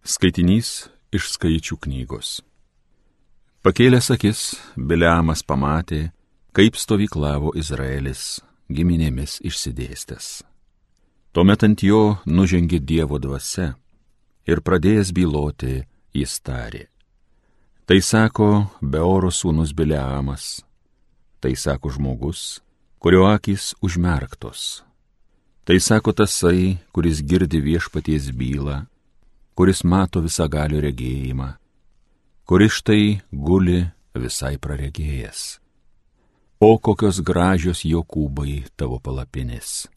Skaitinys iš Skaičių knygos. Pakėlęs akis, Bileamas pamatė, kaip stovyklavo Izraelis giminėmis išsidėstęs. Tuomet ant jo nužengė Dievo dvasia ir pradėjęs byloti, jis tarė. Tai sako Beoro sūnus Bileamas, tai sako žmogus, kurio akys užmerktos. Tai sako tasai, kuris girdi viešpaties bylą, kuris mato visagalio regėjimą, kuris štai guli visai praregėjęs. O kokios gražios Jokūbai tavo palapinės,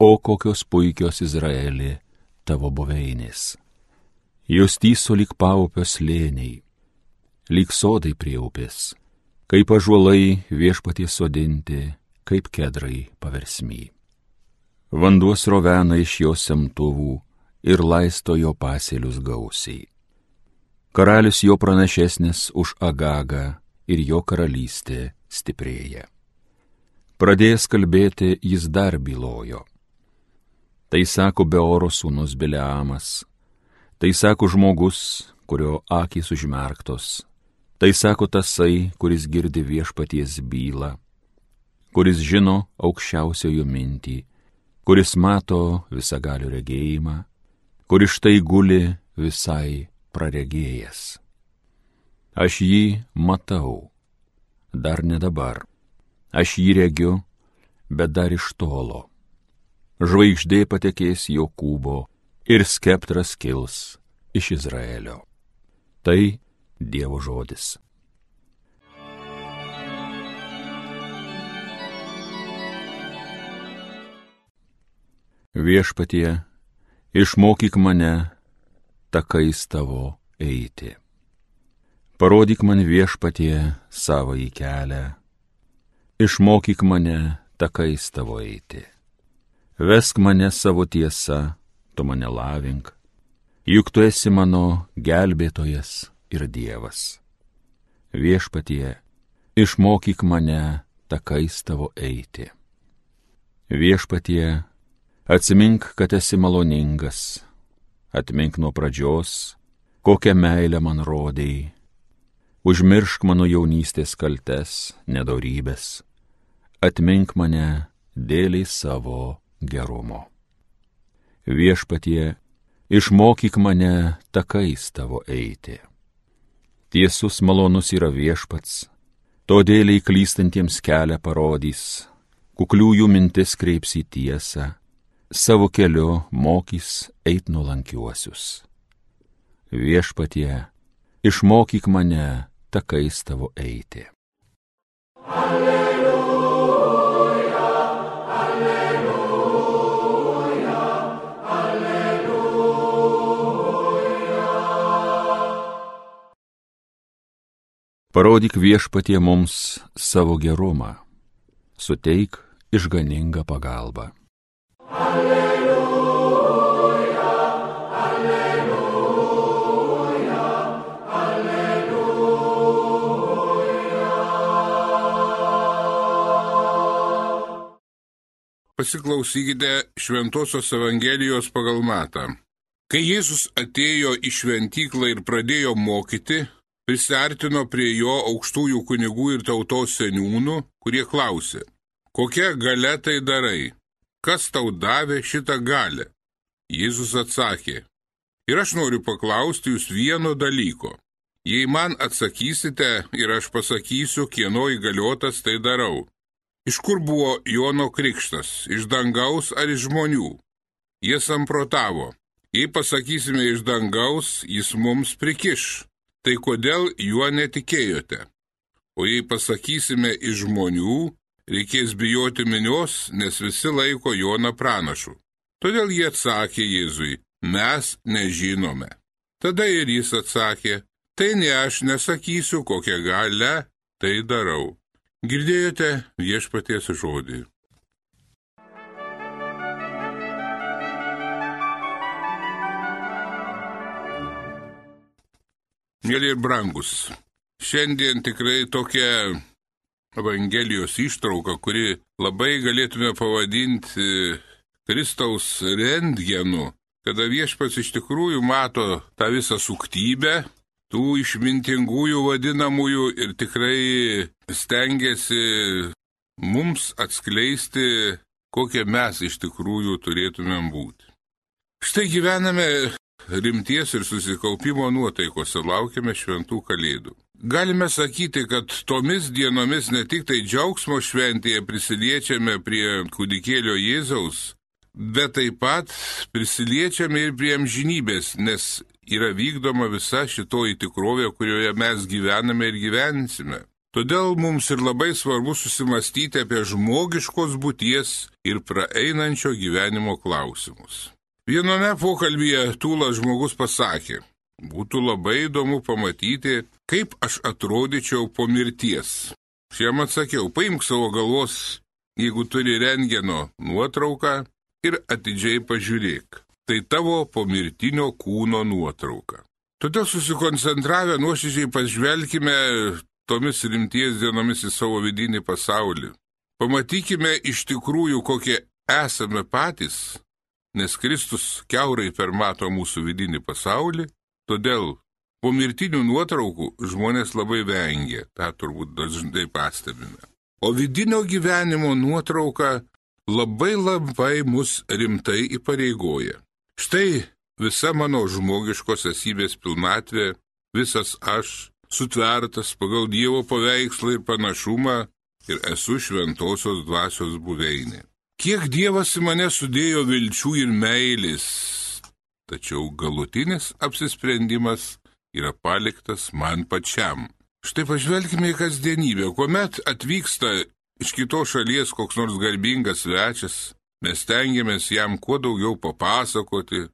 o kokios puikios Izraeli tavo buveinės. Jos tyso lyg paupio slėniai, lyg sodai prie upės, kaip ąžuolai viešpaties sodinti, kaip kedrai paversmy. Vanduo srovena iš jo semtuvų ir laisto jo pasėlius gausiai. Karalius jo pranašesnis už Agagą ir jo karalystė stiprėja. Pradėjęs kalbėti, jis dar bylojo. Tai sako Beoro sūnus Bileamas, tai sako žmogus, kurio akys užmerktos, tai sako tasai, kuris girdi viešpaties bylą, kuris žino aukščiausiojo mintį, kuris mato visagalio regėjimą, kuris štai guli visai praregėjęs. Aš jį matau, dar ne dabar, aš jį regiu, bet dar iš tolo. Žvaigždė patekės Jokūbo ir skeptras kils iš Izraelio. Tai Dievo žodis. Viešpatie, išmokyk mane takais tavo eiti. Parodyk man, Viešpatie, savąjį kelią. Išmokyk mane takais tavo eiti. Vesk mane savo tiesa, tu mane lavink, juk tu esi mano gelbėtojas ir Dievas. Viešpatie, išmokyk mane takais tavo eiti. Viešpatie, atsimink, kad esi maloningas, atmink nuo pradžios, kokią meilę man rodei, užmiršk mano jaunystės kaltes, nedorybės, atmink mane dėliai savo gerumo. Viešpatie, išmokyk mane takais tavo eiti. Tiesus malonus yra Viešpats, todėl klystantiems kelią parodys, kukliųjų mintis kreips į tiesą, savo keliu mokys eit nuolankiuosius. Viešpatie, išmokyk mane takais tavo eiti. Alleluja, alleluja, alleluja. Parodyk, Viešpatie, mums savo gerumą, suteik išganingą pagalbą. Alleluja, alleluja, alleluja. Pasiklausykite Šventosios Evangelijos pagal Matą. Kai Jėzus atėjo į šventyklą ir pradėjo mokyti, prisiartino prie jo aukštųjų kunigų ir tautos seniūnų, kurie klausė, kokia galia tai darai? Kas tau davė šitą galią? Jėzus atsakė, ir aš noriu paklausti jūs vieno dalyko. Jei man atsakysite ir aš pasakysiu, kieno įgaliotas tai darau. Iš kur buvo Jono krikštas, iš dangaus ar iš žmonių? Jie samprotavo, jei pasakysime iš dangaus, jis mums prikiš. Tai kodėl juo netikėjote? O jei pasakysime iš žmonių, reikės bijoti minios, nes visi laiko Joną pranašu. Todėl jie atsakė Jėzui, mes nežinome. Tada ir jis atsakė, tai ne aš nesakysiu, kokią galią tai darau. Girdėjote Viešpaties žodį. Mėly ir brangus, šiandien tikrai tokia Evangelijos ištrauka, kuri labai galėtume pavadinti Kristaus rentgenu, kada viešpats iš tikrųjų mato tą visą suktybę, tų išmintingųjų vadinamųjų ir tikrai stengiasi mums atskleisti, kokie mes iš tikrųjų turėtumėm būti. Štai gyvename rimties ir susikaupimo nuotaikose, laukiame šventų kalėdų. Galime sakyti, kad tomis dienomis ne tik tai džiaugsmo šventėje prisiliečiame prie kūdikėlio Jėzaus, bet taip pat prisiliečiame ir prie amžinybės, nes yra vykdoma visa šitoji tikrovė, kurioje mes gyvename ir gyvensime. Todėl mums ir labai svarbu susimastyti apie žmogiškos būties ir praeinančio gyvenimo klausimus. Viename pokalbyje tūlas žmogus pasakė, būtų labai įdomu pamatyti, kaip aš atrodyčiau po mirties. Šiam atsakiau, paimk savo galvos, jeigu turi rentgeno nuotrauką ir atidžiai pažiūrėk. Tai tavo pomirtinio kūno nuotrauka. Todėl susikoncentravę nuoširdžiai pažvelkime tomis rimties dienomis į savo vidinį pasaulį. Pamatykime iš tikrųjų, kokie esame patys, nes Kristus kiaurai permato mūsų vidinį pasaulį, todėl pomirtinių nuotraukų žmonės labai vengia, tą turbūt dažnai pastebime. O vidinio gyvenimo nuotrauka labai mus rimtai įpareigoja. Štai visa mano žmogiškos esybės pilnatvė, visas aš, sutvertas pagal Dievo paveikslą ir panašumą ir esu šventosios dvasios buveinė. Kiek Dievas į mane sudėjo vilčių ir meilės, tačiau galutinis apsisprendimas yra paliktas man pačiam. Štai pažvelkime į kasdienybę, kuomet atvyksta iš kitos šalies koks nors garbingas svečias, mes stengiamės jam kuo daugiau papasakoti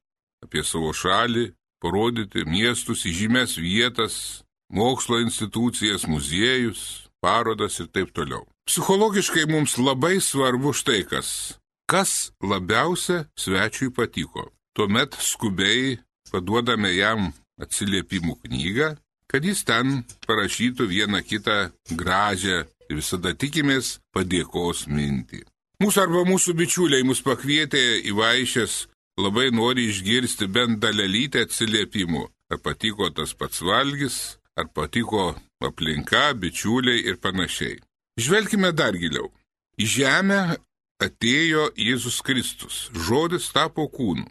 apie savo šalį, parodyti miestus, įžymias vietas, mokslo institucijas, muziejus, parodas ir taip toliau. Psichologiškai mums labai svarbu štai kas labiausia svečiui patiko. Tuomet skubiai paduodame jam atsiliepimų knygą, kad jis ten parašytų vieną kitą gražią ir visada tikimės padėkos mintį. Mūsų bičiuliai mus pakvietė į vaišes, labai nori išgirsti bent dalelytę atsiliepimų. Ar patiko tas pats valgis, ar patiko aplinka, bičiuliai ir panašiai. Žvelkime dar giliau. Į žemę atėjo Jėzus Kristus, žodis tapo kūnu.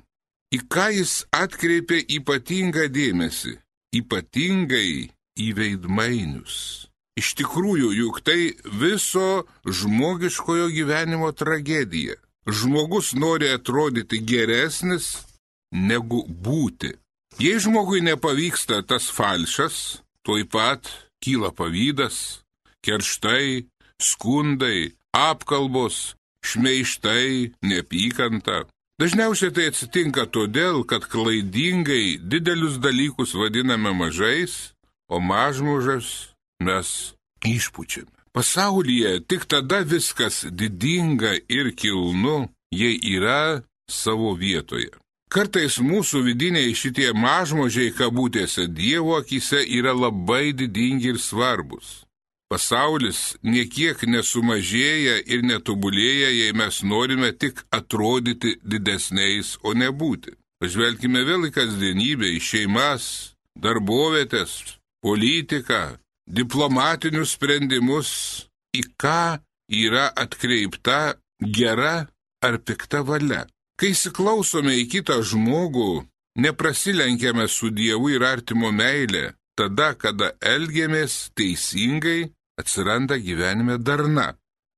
Į ką jis atkreipė ypatingą dėmesį? Ypatingai į veidmainius. Iš tikrųjų, juk tai viso žmogiškojo gyvenimo tragedija. Žmogus nori atrodyti geresnis negu būti. Jei žmogui nepavyksta tas falšas, tuoj pat kyla pavydas, kerštai, skundai, apkalbos, šmeižtai, neapykanta. Dažniausiai tai atsitinka todėl, kad klaidingai didelius dalykus vadiname mažais, o mažmožas mes išpučiame. Pasaulyje tik tada viskas didinga ir kilnu, jei yra savo vietoje. Kartais mūsų vidiniai šitie mažmožiai kabutėse Dievo akyse yra labai didingi ir svarbus. Pasaulis niekiek nesumažėja ir netobulėja, jei mes norime tik atrodyti didesniais, o ne būti. Pažvelkime vėl į kasdienybę, į šeimas, darbovietės, politiką, diplomatinius sprendimus, į ką yra atkreipta gera ar pikta valia. Kai įsiklausome į kitą žmogų, neprasilenkiame su Dievu ir artimo meilė, tada, kada elgiamės teisingai, atsiranda gyvenime darna.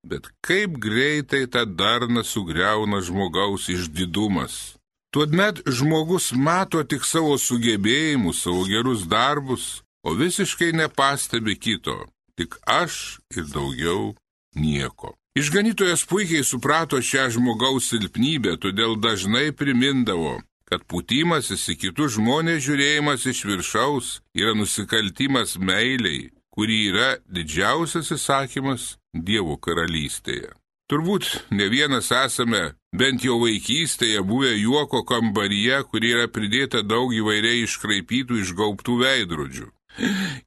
Bet kaip greitai tą darną sugriauna žmogaus išdidumas. Tuomet žmogus mato tik savo sugebėjimus, savo gerus darbus, o visiškai nepastebi kito, tik aš ir daugiau nieko. Išganytojas puikiai suprato šią žmogaus silpnybę, todėl dažnai primindavo, kad pūtimasis į kitus žmonės žiūrėjimas iš viršaus yra nusikaltimas meiliai, kuri yra didžiausias įsakymas Dievo karalystėje. Turbūt ne vienas esame bent jau vaikystėje buvę juoko kambaryje, kur yra pridėta daug įvairiai iškraipytų išgaubtų veidrodžių.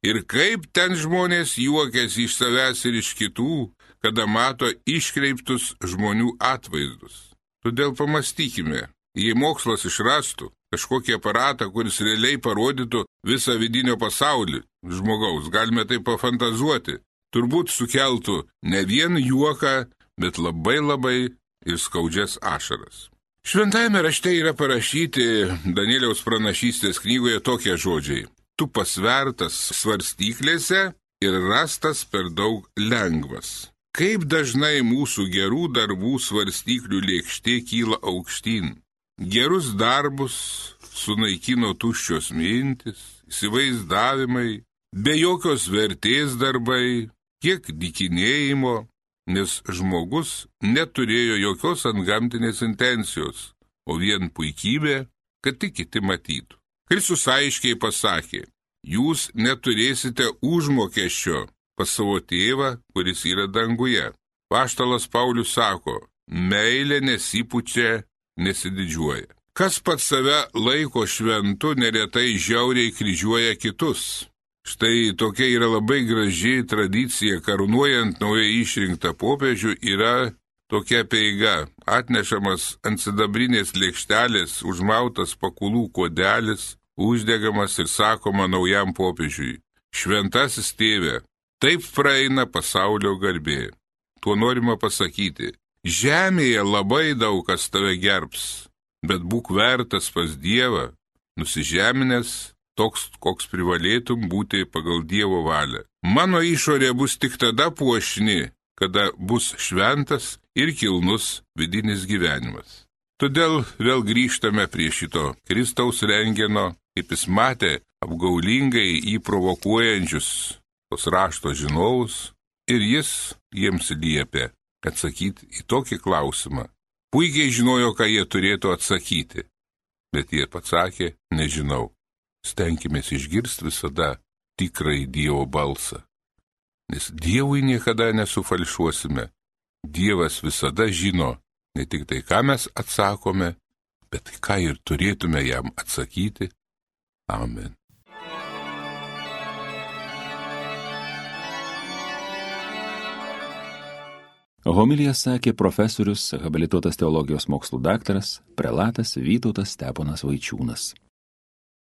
Ir kaip ten žmonės juokiasi iš savęs ir iš kitų, kada mato iškreiptus žmonių atvaizdus. Todėl pamastykime, Jei mokslas išrastų kažkokį aparatą, kuris realiai parodytų visą vidinio pasaulį žmogaus, galime tai pafantazuoti, turbūt sukeltų ne vien juoką, bet labai ir skaudžias ašaras. Šventajame rašte yra parašyti Danieliaus pranašystės knygoje tokie žodžiai: tu pasvertas svarstyklėse ir rastas per daug lengvas. Kaip dažnai mūsų gerų darbų svarstyklių lėkštė kyla aukštyn. Gerus darbus sunaikino tuščios mintis, įsivaizdavimai, be jokios vertės darbai, kiek dykinėjimo, nes žmogus neturėjo jokios antgamtinės intencijos, o vien puikybė, kad tik kiti matytų. Kristus aiškiai pasakė: jūs neturėsite užmokesčio pas savo tėvą, kuris yra danguje. Apaštalas Paulius sako: meilė nesipučia, nesididžiuoja. Kas pats save laiko šventu, neretai žiauriai kryžiuoja kitus. Štai tokia yra labai graži tradicija, karūnuojant naujai išrinktą popiežių, yra tokia apeiga: atnešamas ant sidabrinės lėkštelės užmautas pakulų kodelis, uždegamas ir sakoma naujam popiežiui: šventasis tėve, taip praeina pasaulio garbė. Tuo norima pasakyti: žemėje labai daug kas tave gerbs, bet būk vertas pas Dievą, nusižeminęs, toks, koks privalėtum būti pagal Dievo valią. Mano išorė bus tik tada puošni, kada bus šventas ir kilnus vidinis gyvenimas. Todėl vėl grįžtame prie šito Kristaus rengeno, kaip jis matė apgaulingai jį provokuojančius tos rašto žinovus, ir jis jiems liepė atsakyti į tokį klausimą. Puikiai žinojo, ką jie turėtų atsakyti, bet jie atsakė: nežinau. Stenkimės išgirsti visada tikrai Dievo balsą, nes Dievui niekada nesufalšuosime. Dievas visada žino ne tik tai, ką mes atsakome, bet ką ir turėtume jam atsakyti. Amen. Homiliją sakė profesorius, habilituotas teologijos mokslų daktaras, prelatas Vytautas Steponas Vaičiūnas.